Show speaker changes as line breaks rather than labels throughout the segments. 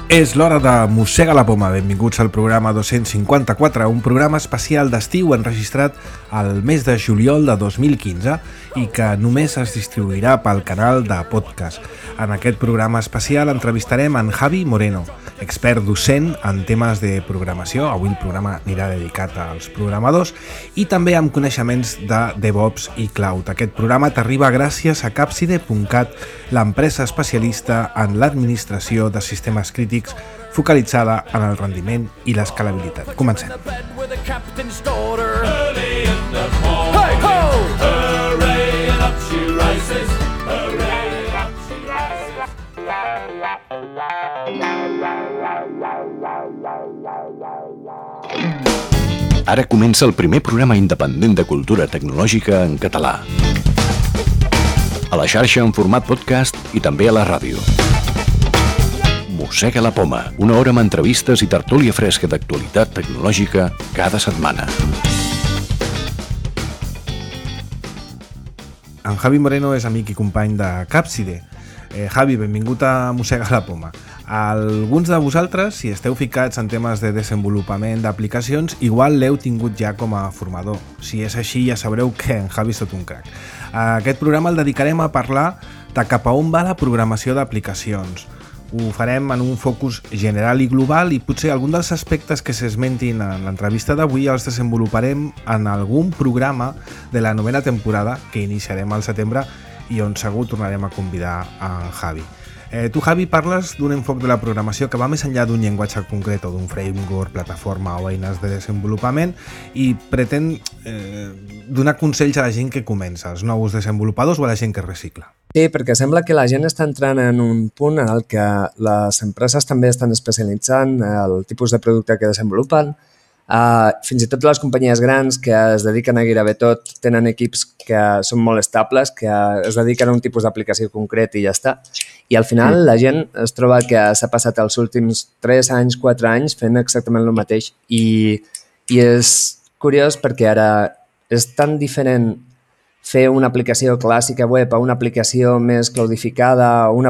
És l'hora de Mossega la Poma. Benvinguts al programa 254, un programa especial d'estiu enregistrat al mes de juliol de 2015 i que només es distribuirà pel canal de podcast. En aquest programa especial entrevistarem en Javi Moreno, expert docent en temes de programació. Avui el programa anirà dedicat als programadors i també amb coneixements de DevOps i Cloud. Aquest programa t'arriba gràcies a Capside.cat, l'empresa especialista en l'administració de sistemes crítics focalitzada en el rendiment i l'escalabilitat. Comencem.
Ara comença el primer programa independent de cultura tecnològica en català. A la xarxa en format podcast i també a la ràdio. Mossega la Poma, una hora amb entrevistes i tertúlia fresca d'actualitat tecnològica cada setmana.
En Javi Moreno és amic i company de Capside. Javi, benvingut a Mossega la Poma. Alguns de vosaltres, si esteu ficats en temes de desenvolupament d'aplicacions, igual l'heu tingut ja com a formador. Si és així, ja sabreu que en Javi és tot un crac. Aquest programa el dedicarem a parlar de cap a on va la programació d'aplicacions. Ho farem en un focus general i global i potser algun dels aspectes que s'esmentin en l'entrevista d'avui els desenvoluparem en algun programa de la novena temporada que iniciarem al setembre i on segur tornarem a convidar a Javi. Tu, Javi, parles d'un enfoc de la programació que va més enllà d'un llenguatge concret o d'un framework, plataforma o eines de desenvolupament i pretén donar consells a la gent que comença, als nous desenvolupadors o a la gent que recicla.
Sí, perquè sembla que la gent està entrant en un punt en el que les empreses també estan especialitzant el tipus de producte que desenvolupen. Fins i tot les companyies grans que es dediquen a gairebé tot tenen equips que són molt estables, que es dediquen a un tipus d'aplicació concret i ja està. I al final la gent es troba que s'ha passat els últims 3 anys, 4 anys fent exactament el mateix. I és curiós perquè ara és tan diferent fer una aplicació clàssica web a una aplicació més cloudificada, una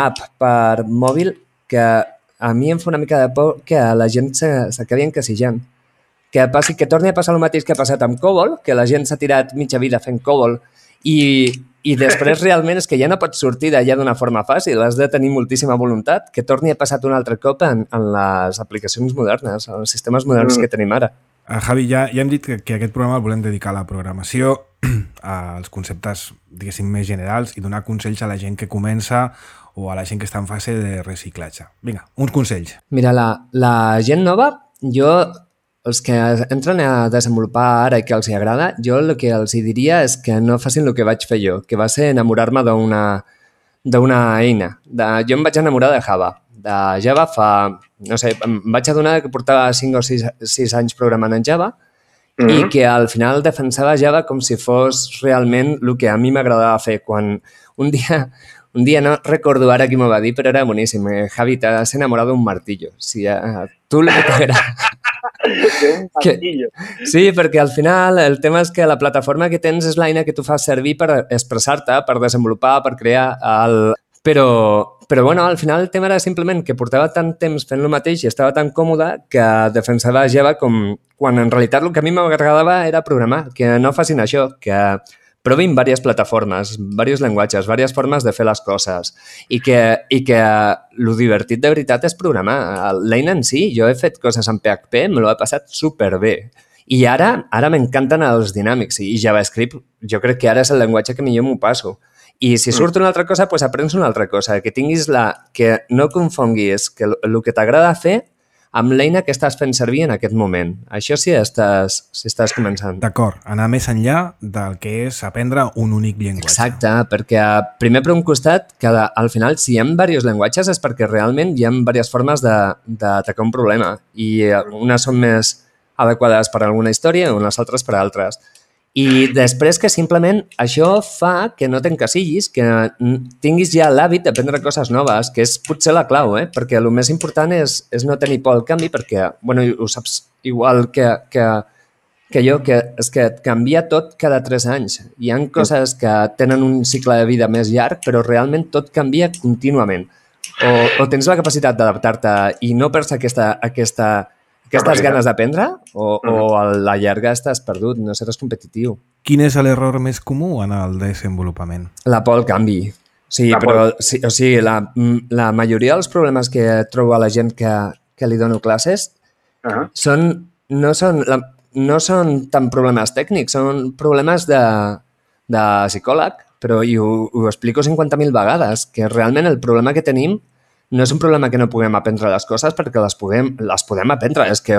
app per mòbil que a mi em fa una mica de por que la gent s'acabi encasijant. Que torni a passar el mateix que ha passat amb COBOL, que la gent s'ha tirat mitja vida fent COBOL i després realment és que ja no pots sortir d'allà d'una forma fàcil, has de tenir moltíssima voluntat, que torni a passar un altre cop en les aplicacions modernes, en els sistemes moderns que tenim ara.
Javi, ja hem dit que aquest programa el volem dedicar a la programació, als conceptes, diguéssim, més generals i donar consells a la gent que comença o a la gent que està en fase de reciclatge. Vinga, uns consells.
Mira, la gent nova, els que entren a desenvolupar ara i que els agrada, jo el que els diria és que no facin el que vaig fer jo, que va ser enamorar-me d'una eina. Jo em vaig enamorar de Java. De Java em vaig adonar que portava 5 o 6 anys programant en Java i que al final defensava Java com si fos realment el que a mi m'agradava fer. Quan un dia no recordo ara qui m'ho va dir, però era boníssim. Javi, t'has enamorat d'un martillo. Si a tu el que t'agrada... Sí, perquè al final el tema és que la plataforma que tens és l'eina que tu fas servir per expressar-te, per desenvolupar, per crear Però bueno, al final el tema era simplement que portava tant temps fent el mateix i estava tan còmode que defensava Java com quan en realitat el que a mi m'agradava era programar, que no facin això, que provin diverses plataformes, diversos llenguatges, diverses formes de fer les coses i que el divertit de veritat és programar. L'eina en si, jo he fet coses en PHP, me l'he passat superbé. I ara m'encanten els dinàmics i JavaScript jo crec que ara és el llenguatge que millor m'ho passo. I si surt una altra cosa, doncs aprens una altra cosa. Que tinguis que no confonguis que el que t'agrada fer amb l'eina que estàs fent servir en aquest moment. Això si estàs començant.
D'acord, anar més enllà del que és aprendre un únic llenguatge.
Exacte, perquè primer per un costat, que al final si hi ha diversos llenguatges és perquè realment hi ha diverses formes d'atacar un problema i unes són més adequades per a alguna història i unes altres per a altres. I després que simplement això fa que no t'encasillis, que tinguis ja l'hàbit d'aprendre coses noves, que és potser la clau, perquè el més important és no tenir por al canvi, perquè, bueno, ho saps igual que jo, que és que et canvia tot cada 3 anys. Hi ha coses que tenen un cicle de vida més llarg, però realment tot canvia contínuament. O tens la capacitat d'adaptar-te i no perds aquestes ganes d'aprendre, o a la llarga estàs perdut, no seràs competitiu.
Quin és l'error més comú en el desenvolupament?
La por al canvi. Sí, però la majoria dels problemes que trobo a la gent que li dono classes no són tant problemes tècnics, són problemes de psicòleg, però ho explico 50.000 vegades, que realment el problema que tenim no és un problema que no puguem aprendre les coses, perquè les podem aprendre. És que,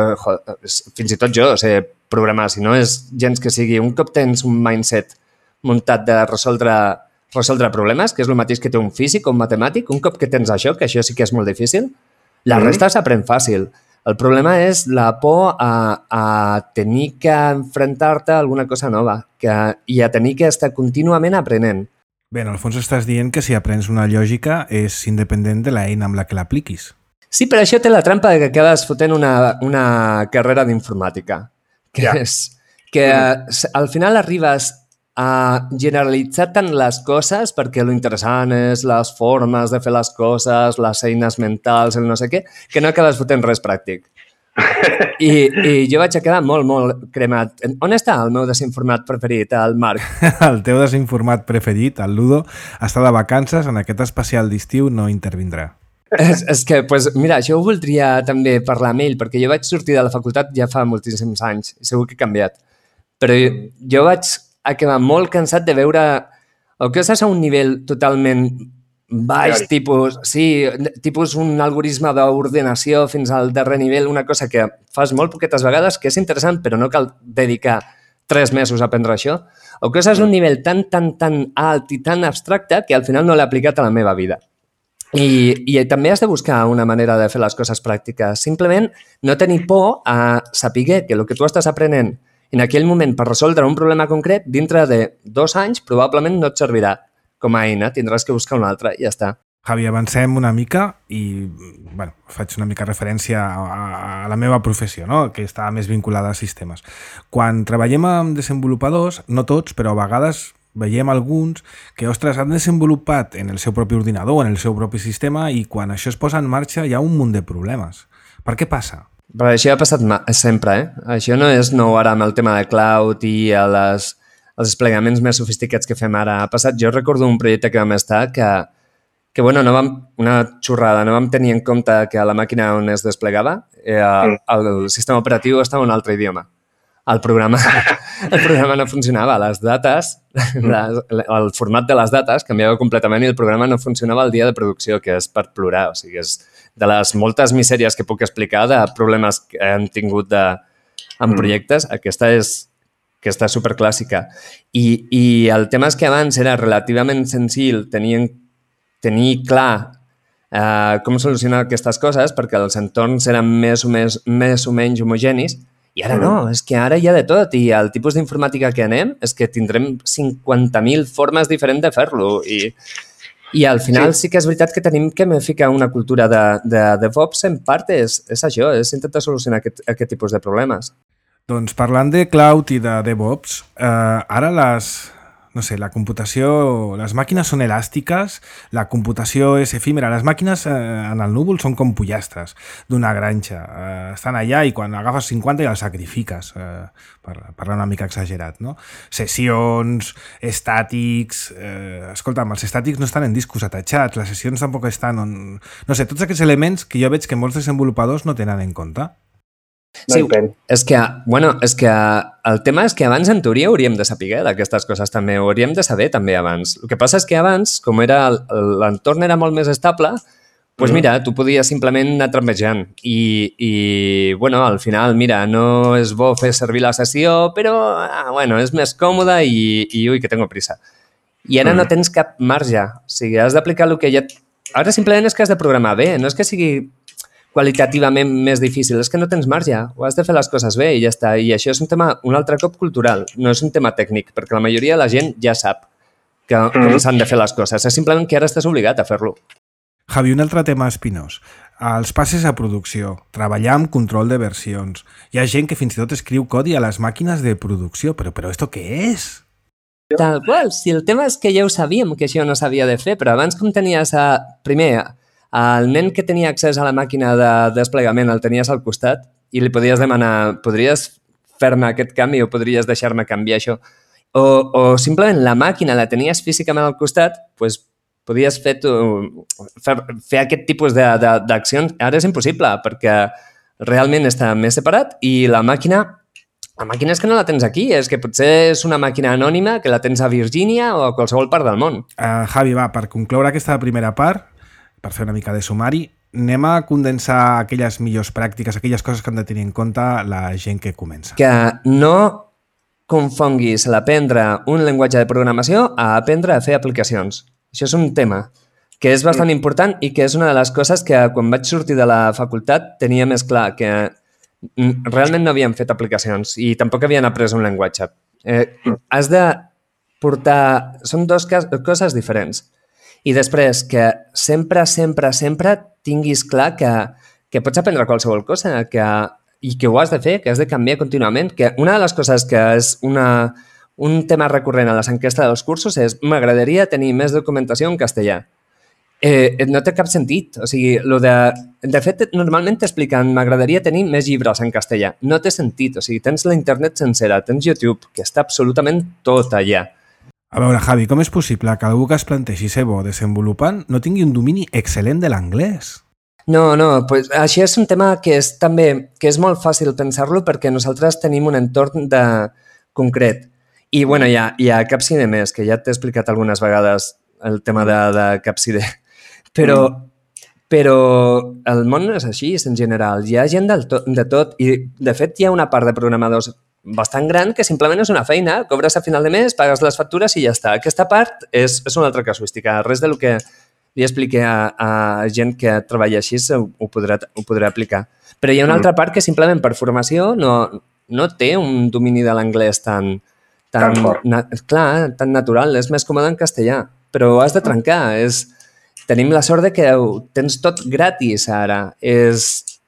fins i tot jo sé programar, si no és gens que sigui un cop tens un mindset muntat de resoldre problemes, que és el mateix que té un físic o un matemàtic, un cop que tens això, que això sí que és molt difícil, la resta s'aprèn fàcil. El problema és la por a tenir que enfrontar-te a alguna cosa nova i a tenir que estar contínuament aprenent.
Bé, en el fons estàs dient que si aprens una lògica és independent de l'eina amb la que l'apliquis.
Sí, però això té la trampa que acabes fotent una carrera d'informàtica, és que al final arribes a generalitzar tant les coses, perquè lo interessant és les formes de fer les coses, les eines mentals, el no sé què, que no acabes fotent res pràctic. I jo vaig quedar molt, molt cremat. On està el meu desinformat preferit, el Marc?
El teu desinformat preferit, el Ludo, està de vacances, en aquest especial d'estiu no intervindrà.
És que, mira, això ho voldria també parlar amb ell, perquè jo vaig sortir de la facultat ja fa moltíssims anys, i segur que he canviat. Però jo vaig acabar molt cansat de veure el que estàs a un nivell totalment baix, tipus un algoritme d'ordenació fins al darrer nivell, una cosa que fas molt poquetes vegades, que és interessant, però no cal dedicar 3 mesos a aprendre això, o que és un nivell tan alt i tan abstracte que al final no l'he aplicat a la meva vida. I també has de buscar una manera de fer les coses pràctiques. Simplement no tenir por a saber que el que tu estàs aprenent en aquell moment per resoldre un problema concret, dintre de 2 anys probablement no et servirà com a eina, tindràs que buscar una altra i ja està.
Javi, avancem una mica i faig una mica referència a la meva professió, no? Que està més vinculada a sistemes. Quan treballem amb desenvolupadors, no tots, però a vegades veiem alguns que, ostres, han desenvolupat en el seu propi ordinador, en el seu propi sistema, i quan això es posa en marxa hi ha un munt de problemes. Per què passa?
Però això ha passat sempre, Això no és nou ara amb el tema de cloud i els desplegaments més sofisticats que fem ara. Ha passat, jo recordo un projecte que vam estar que bueno, una xorrada, no vam tenir en compte que a la màquina on es desplegava el sistema operatiu estava en un altre idioma. El programa no funcionava. Les dates, el format de les dates canviava completament i el programa no funcionava el dia de producció, que és per plorar. O sigui, és de les moltes misèries que puc explicar de problemes que hem tingut en projectes, aquesta és superclàssica. I el tema és que abans era relativament senzill tenir clar com solucionar aquestes coses perquè els entorns eren més o menys homogenis. I ara no, és que ara hi ha de tot i el tipus d'informàtica que anem és que tindrem 50.000 formes diferents de fer-lo i al final sí que és veritat que tenim que ficar una cultura de DevOps en part és això, és intentar solucionar aquest tipus de problemes.
Doncs parlant de cloud i de DevOps, ara la computació, les màquines són elàstiques, la computació és efímera, les màquines en el núvol són com pollastres d'una granja, estan allà i quan agafes 50 ja els sacrifiques, per parlar una mica exagerat, no? Sessions, estàtics, escolta'm, els estàtics no estan en discos atachats, les sessions tampoc estan no sé, tots aquests elements que jo veig que molts desenvolupadors no tenen en compte.
Sí, és que el tema és que abans en teoria hauríem de saber d'aquestes coses també, ho hauríem de saber també abans. El que passa és que abans, com l'entorn era molt més estable, doncs mira, tu podies simplement anar trampejant i bueno, al final, mira, no és bo fer servir la sessió, però bueno, és més còmode i ui, que tengo prisa. I ara no tens cap marge, o sigui, has d'aplicar el que ja... Ara simplement és que has de programar bé, no és que sigui... qualitativament més difícil, és que no tens marge, o has de fer les coses bé i ja està. I això és un tema, un altre cop, cultural, no és un tema tècnic, perquè la majoria de la gent ja sap com s'han de fer les coses. És simplement que ara estàs obligat a fer-lo.
Javi, un altre tema espinós. Els passes a producció, treballar amb control de versions. Hi ha gent que fins i tot escriu codi a les màquines de producció, però ¿esto què és?
Tal qual, si el tema és que ja ho sabíem que això no s'havia de fer, però abans com tenies primer el nen que tenia accés a la màquina de desplegament el tenies al costat i li podies demanar, podries fer-me aquest canvi o podries deixar-me canviar això? O simplement la màquina la tenies físicament al costat, doncs podies fer aquest tipus d'accions. Ara és impossible perquè realment està més separat i la màquina és que no la tens aquí, és que potser és una màquina anònima que la tens a Virgínia o a qualsevol part del món.
Javi, va, per concloure aquesta primera part, per fer una mica de sumari, anem a condensar aquelles millors pràctiques, aquelles coses que han de tenir en compte la gent que comença.
Que no confonguis l'aprendre un llenguatge de programació a aprendre a fer aplicacions. Això és un tema que és bastant important i que és una de les coses que quan vaig sortir de la facultat tenia més clar, que realment no havien fet aplicacions i tampoc havien après un llenguatge. Has de portar... Són dues coses diferents. I després, que sempre tinguis clar que pots aprendre qualsevol cosa i que ho has de fer, que has de canviar contínuament. Que una de les coses que és un tema recurrent a les enquestes dels cursos és m'agradaria tenir més documentació en castellà. No té cap sentit. O sigui, de fet, normalment t'expliquen m'agradaria tenir més llibres en castellà. No té sentit. O sigui, tens la internet sencera, tens YouTube, que està absolutament tot allà.
A veure, Javi, com és possible que algú que es planteixi ser bo desenvolupant no tingui un domini excel·lent de l'anglès?
No, pues això és un tema que és molt fàcil pensar-lo perquè nosaltres tenim un entorn concret. I, bueno, hi ha Capside més, que ja t'he explicat algunes vegades el tema de Capside. Però el món no és així, en general. Hi ha gent de tot i, de fet, hi ha una part de programadors bastant gran que simplement és una feina, cobres a final de mes, pagues les factures i ja està. Aquesta part és una altra casuística. Res del que li expliqué a gent que treballa així ho podrà aplicar. Però hi ha una altra part que simplement per formació no té un domini de l'anglès tan natural. És més còmode en castellà, però has de trencar. Tenim la sort de que ho tens tot gratis ara.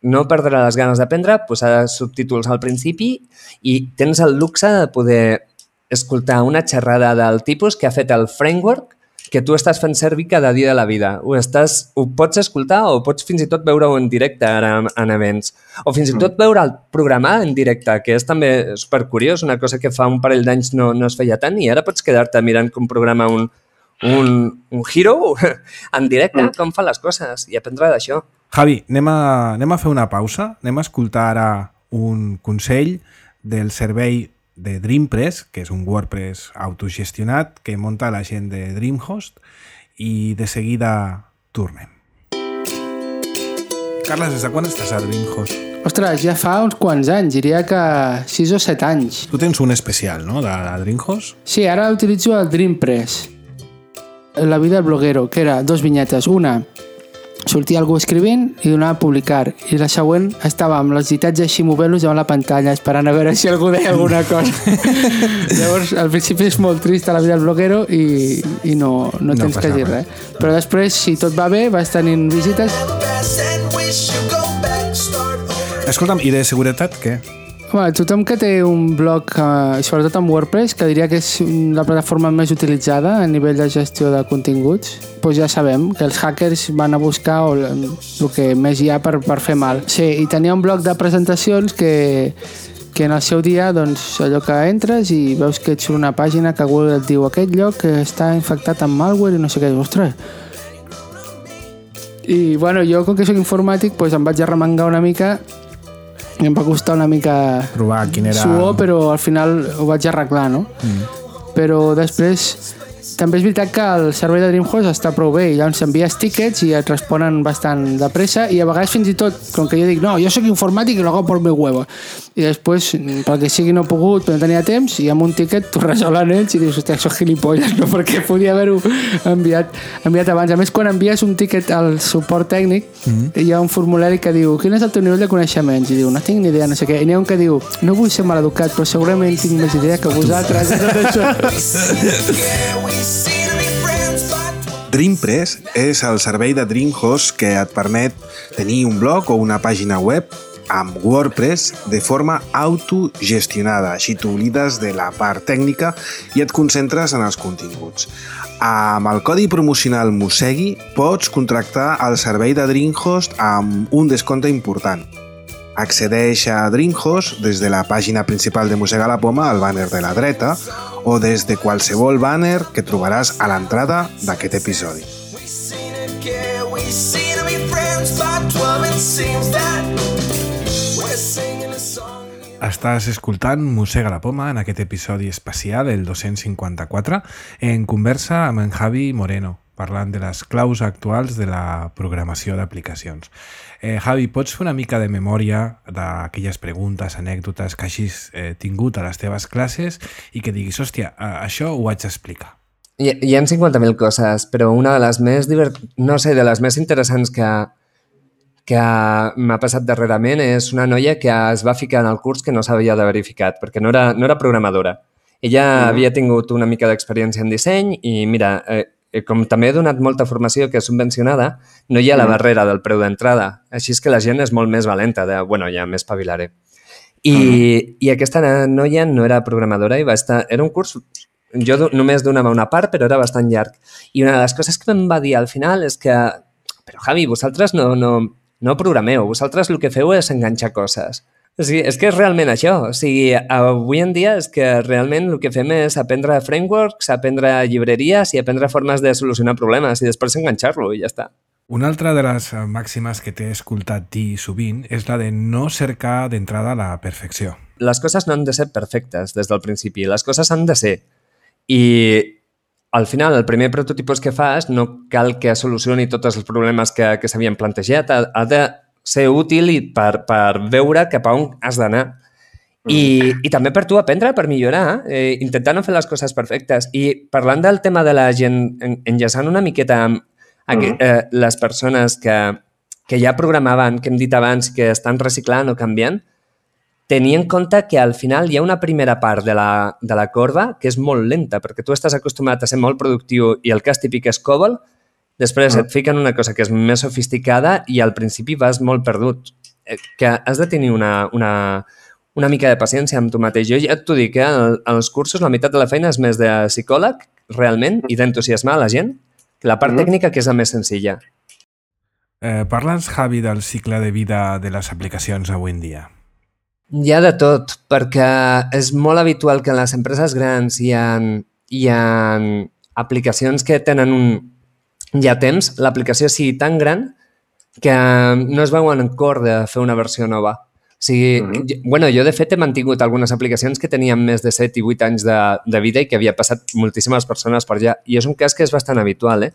No perdre les ganes d'aprendre, posar subtítols al principi i tens el luxe de poder escoltar una xerrada del tipus que ha fet el framework que tu estàs fent servir cada dia de la vida. Ho pots escoltar o pots fins i tot veure-ho en directe ara en events. O fins i tot veure el programar en directe, que és també supercuriós, una cosa que fa un parell d'anys no es feia tant i ara pots quedar-te mirant com programa un hero en directe, com fa les coses i aprendre d'això.
Javi, anem a fer una pausa, anem a escoltar ara un consell del servei de DreamPress, que és un WordPress autogestionat que munta la gent de DreamHost i de seguida tornem. Carles, des de quan estàs a DreamHost?
Ostres, ja fa uns quants anys, diria que 6 o 7 anys.
Tu tens un especial, no?, de DreamHost?
Sí, ara utilitzo el DreamPress. La vida del bloguero, que era 2 vinyetes. Una, sortia algú escrivint i donava a publicar. I la següent estava amb els ditats així movent-los davant la pantalla, esperant a veure si algú deia alguna cosa. Llavors, al principi és molt trist la vida del bloguero i no tens que dir res. Però després, si tot va bé, vas tenint visites.
Escolta'm, i de seguretat què?
Home, tothom que té un blog, sobretot amb WordPress, que diria que és la plataforma més utilitzada a nivell de gestió de continguts, doncs ja sabem que els hackers van a buscar el que més hi ha per fer mal. Sí, i tenia un bloc de presentacions que en el seu dia, doncs, allò que entres i veus que et surt una pàgina que Google et diu aquest lloc que està infectat amb malware i no sé què, ostres. I, bueno, jo, com que soc informàtic, doncs em vaig arremangar una mica i em va costar una mica
provar quin era...
suor, però al final ho vaig arreglar, no? Però després també és veritat que el servei de DreamHost està prou bé i llavors envies tickets i et responen bastant de pressa i a vegades fins i tot, com que jo dic no, jo soc informàtic i lo hago por mi huevo i després, perquè sigui no he pogut però no tenia temps i amb un tiquet t'ho resolen ells i dius, hòstia, això gilipolles no? Perquè podia haver-ho enviat abans. A més, quan envies un tiquet al suport tècnic hi ha un formulari que diu quin és el teu nivell de coneixements? I diu, no tinc ni idea, no sé què. I n'hi ha un que diu, no vull ser maleducat, però segurament tinc més idea que vosaltres.
DreamPress és el servei de DreamHost que et permet tenir un blog o una pàgina web amb WordPress de forma autogestionada. Així t'oblides de la part tècnica i et concentres en els continguts. Amb el codi promocional Mosegui pots contractar el servei de DreamHost amb un descompte important. Accedeix a DreamHost des de la pàgina principal de Mossega la Poma, al banner de la dreta, o des de qualsevol banner que trobaràs a l'entrada d'aquest episodi. Estàs escoltant Mossega la Poma en aquest episodi especial, el 254, en conversa amb en Javi Moreno, parlant de les claus actuals de la programació d'aplicacions. Javi, pots fer una mica de memòria d'aquelles preguntes, anècdotes que hagis tingut a les teves classes i que diguis, hòstia, això ho haig d'explicar?
Hi ha 50.000 coses, però una de les més de les més interessants que m'ha passat darrerament és una noia que es va ficar en el curs que no s'havia de verificat, perquè no era programadora. Ella havia tingut una mica d'experiència en disseny i, mira, com també he donat molta formació que és subvencionada, no hi ha la barrera del preu d'entrada. Així és que la gent és molt més valenta, ja m'espavilaré. I aquesta noia no era programadora i era un curs... Jo només donava una part, però era bastant llarg. I una de les coses que em va dir al final és que però Javi, vosaltres no programeu, vosaltres el que feu és enganxar coses. O sigui, és que és realment això. O sigui, avui en dia és que realment el que fem és aprendre frameworks, aprendre llibreries i aprendre formes de solucionar problemes i després enganxar-lo i ja està.
Una altra de les màximes que t'he escoltat dir sovint és la de no cercar d'entrada la perfecció.
Les coses no han de ser perfectes des del principi, les coses han de ser. I al final, el primer prototipus que fas no cal que solucioni tots els problemes que s'havien plantejat. Ha de ser útil per veure cap a on has d'anar. I també per tu aprendre, per millorar, intentar no fer les coses perfectes. I parlant del tema de la gent, enllaçant una miqueta amb les persones que ja programaven, que hem dit abans, que estan reciclant o canviant, tenir en compte que al final hi ha una primera part de la corba que és molt lenta, perquè tu estàs acostumat a ser molt productiu i el cas típic és COBOL, després et fiquen una cosa que és més sofisticada i al principi vas molt perdut. Que has de tenir una mica de paciència amb tu mateix. Jo ja t'ho dic, als cursos la meitat de la feina és més de psicòleg, realment, i d'entusiasmar la gent, que la part tècnica que és la més senzilla.
Parla'ns, Javi, del cicle de vida de les aplicacions avui en dia.
Hi ha de tot, perquè és molt habitual que en les empreses grans hi ha aplicacions que tenen ja temps, l'aplicació sigui tan gran que no es veuen en cor de fer una versió nova. O sigui, jo de fet he mantingut algunes aplicacions que tenien més de 7 i 8 anys de vida i que havia passat moltíssimes persones per allà. I és un cas que és bastant habitual,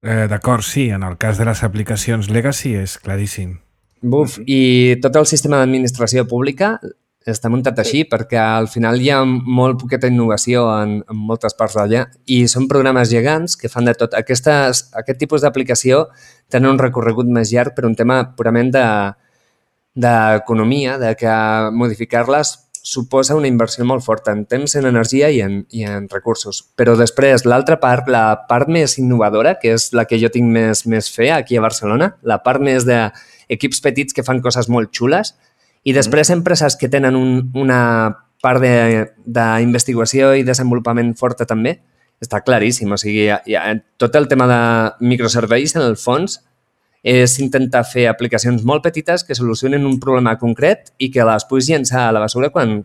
D'acord, sí, en el cas de les aplicacions legacy és claríssim.
I tot el sistema d'administració pública està muntat així perquè al final hi ha molt poqueta innovació en moltes parts d'allà i són programes gegants que fan de tot. Aquest tipus d'aplicació tenen un recorregut més llarg per un tema purament d'economia, de que modificar-les suposa una inversió molt forta en temps, en energia i en recursos. Però després, l'altra part, la part més innovadora, que és la que jo tinc més fe aquí a Barcelona, la part més d'equips petits que fan coses molt xules, i després empreses que tenen una part d'investigació i desenvolupament forta també, està claríssim. O sigui, tot el tema de microserveis, en el fons, és intentar fer aplicacions molt petites que solucionen un problema concret i que les puguis llençar a la basura quan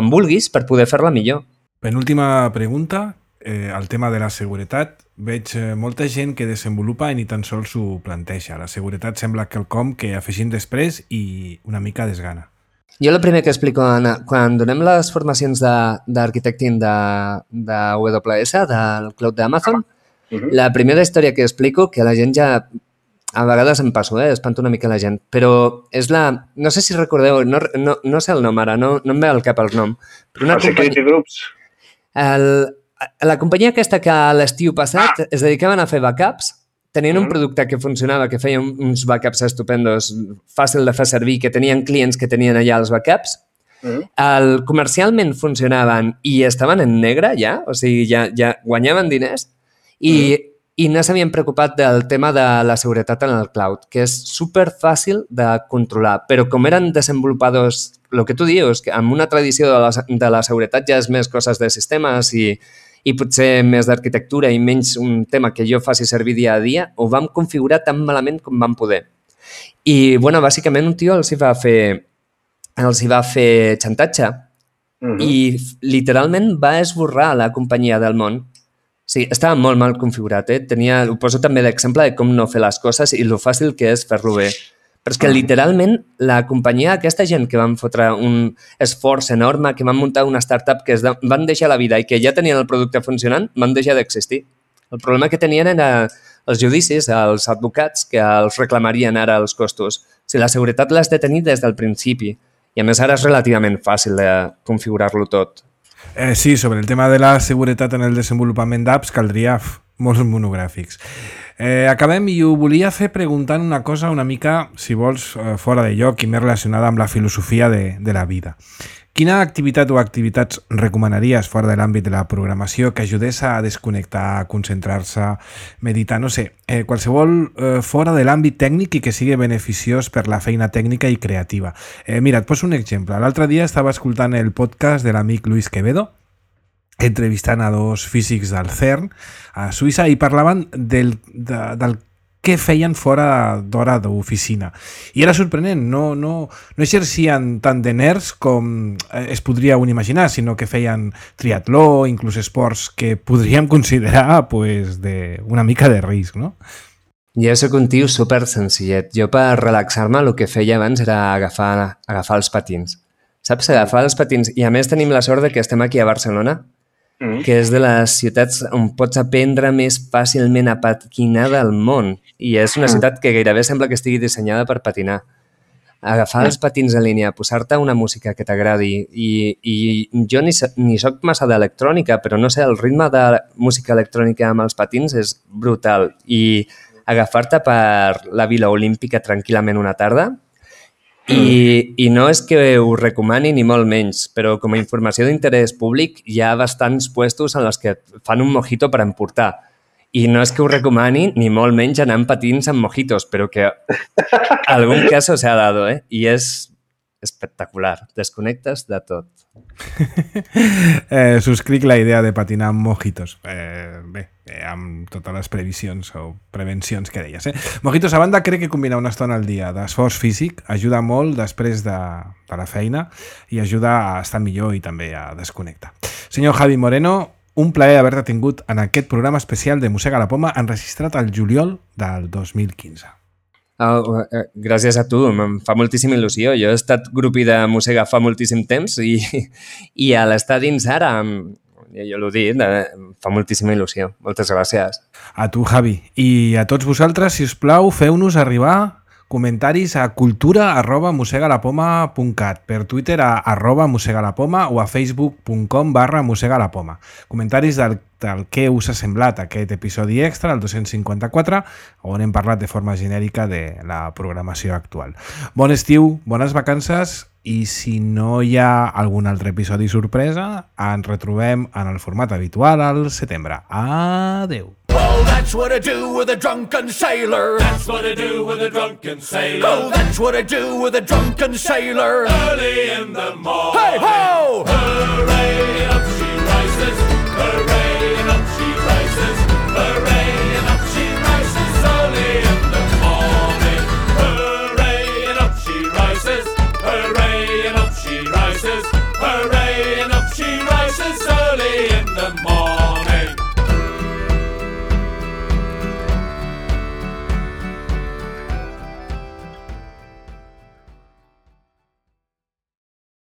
vulguis per poder fer-la millor.
Penúltima pregunta, el tema de la seguretat. Veig molta gent que desenvolupa i ni tan sols s'ho planteja. La seguretat sembla quelcom que afegim després i una mica desgana.
Jo el primer que explico quan donem les formacions d'arquitecting de AWS, del cloud d'Amazon, la primera història que explico, que la gent ja a vegades em passo, espanto una mica la gent, però és la... No sé si recordeu, no sé el nom ara, no em ve al cap el nom.
Però Security Groups.
La companyia aquesta que a l'estiu passat es dedicaven a fer backups, tenien un producte que funcionava, que feia uns backups estupendos, fàcil de fer servir, que tenien clients que tenien allà els backups. Comercialment funcionaven i estaven en negre ja, o sigui, ja guanyaven diners i no s'havien preocupat del tema de la seguretat en el cloud, que és superfàcil de controlar, però com eren desenvolupadors, el que tu dius, que amb una tradició de la seguretat ja és més coses de sistemes i potser més d'arquitectura i menys un tema que jo faci servir dia a dia, ho vam configurar tan malament com vam poder. I, bueno, bàsicament un tio els hi va fer xantatge i literalment va esborrar la companyia del món. Sí, estava molt mal configurat, ho poso també d'exemple de com no fer les coses i lo fàcil que és fer-lo bé. Però és que literalment la companyia, aquesta gent que van fotre un esforç enorme, que van muntar una startup que van deixar la vida i que ja tenien el producte funcionant, van deixar d'existir. El problema que tenien era els judicis, els advocats que els reclamarien ara els costos. Si la seguretat l'has de tenir des del principi i a més ara és relativament fàcil de configurar-lo tot.
Sí, sobre el tema de la seguretat en el desenvolupament d'apps caldria molts monogràfics. Acabem i ho volia fer preguntant una cosa una mica, si vols, fora de lloc i més relacionada amb la filosofia de la vida. Quina activitat o activitats recomanaries fora de l'àmbit de la programació que ajudés a desconnectar, a concentrar-se, meditar, no sé, qualsevol fora de l'àmbit tècnic i que sigui beneficiós per la feina tècnica i creativa? Mira, et poso un exemple. L'altre dia estava escoltant el podcast de l'amic Luis Quevedo, entrevistant a dos físics del CERN a Suïssa i parlaven del què feien fora d'hora d'oficina. I era sorprenent, no exercien tant de nerds com es podria un imaginar, sinó que feien triatló, inclús esports que podríem considerar una mica de risc, no?
Jo soc un tio super senzillet. Jo per relaxar-me el que feia abans era agafar els patins. Saps? Agafar els patins. I a més tenim la sort que estem aquí a Barcelona, que és de les ciutats on pots aprendre més fàcilment a patinar del món. I és una ciutat que gairebé sembla que estigui dissenyada per patinar. Agafar els patins en línia, posar-te una música que t'agradi i jo ni soc massa d'electrònica, però no sé, el ritme de música electrònica amb els patins és brutal. I agafar-te per la Vila Olímpica tranquil·lament una tarda i no és que ho recomani ni molt menys, però com a informació d'interès públic hi ha bastants puestos en els que fan un mojito per emportar. I no és que ho recomani ni molt menys anar amb patins amb mojitos, però que algun cas se ha dado, I és espectacular. Desconnectes de tot.
Subscric la idea de patinar amb mojitos. Bé, amb totes les previsions o prevencions que deies. Mojitos, a banda, crec que combinar una estona al dia d'esforç físic ajuda molt després de la feina i ajuda a estar millor i també a desconnectar. Senyor Javi Moreno, un plaer haver-te tingut en aquest programa especial de Mossega la Poma enregistrat al juliol del 2015.
Gràcies a tu, em fa moltíssima il·lusió. Jo he estat grupi de Mossega fa moltíssim temps i a l'estar dins ara, jo l'ho dic, em fa moltíssima il·lusió. Moltes gràcies.
A tu, Javi. I a tots vosaltres, si us plau, feu-nos arribar comentaris a cultura@mossegalapoma.cat, per Twitter a @mossegalapoma o a facebook.com/mossegalapoma. Comentaris del què us ha semblat aquest episodi extra, el 254, on hem parlat de forma genèrica de la programació actual. Bon estiu, bones vacances i si no hi ha algun altre episodi sorpresa, ens retrobem en el format habitual al setembre. Adeu!
Well, that's what I do with a drunken sailor. That's what I do with a drunken sailor. Oh, that's what I do with a drunken sailor. Early in the morning. Hey ho! Hooray!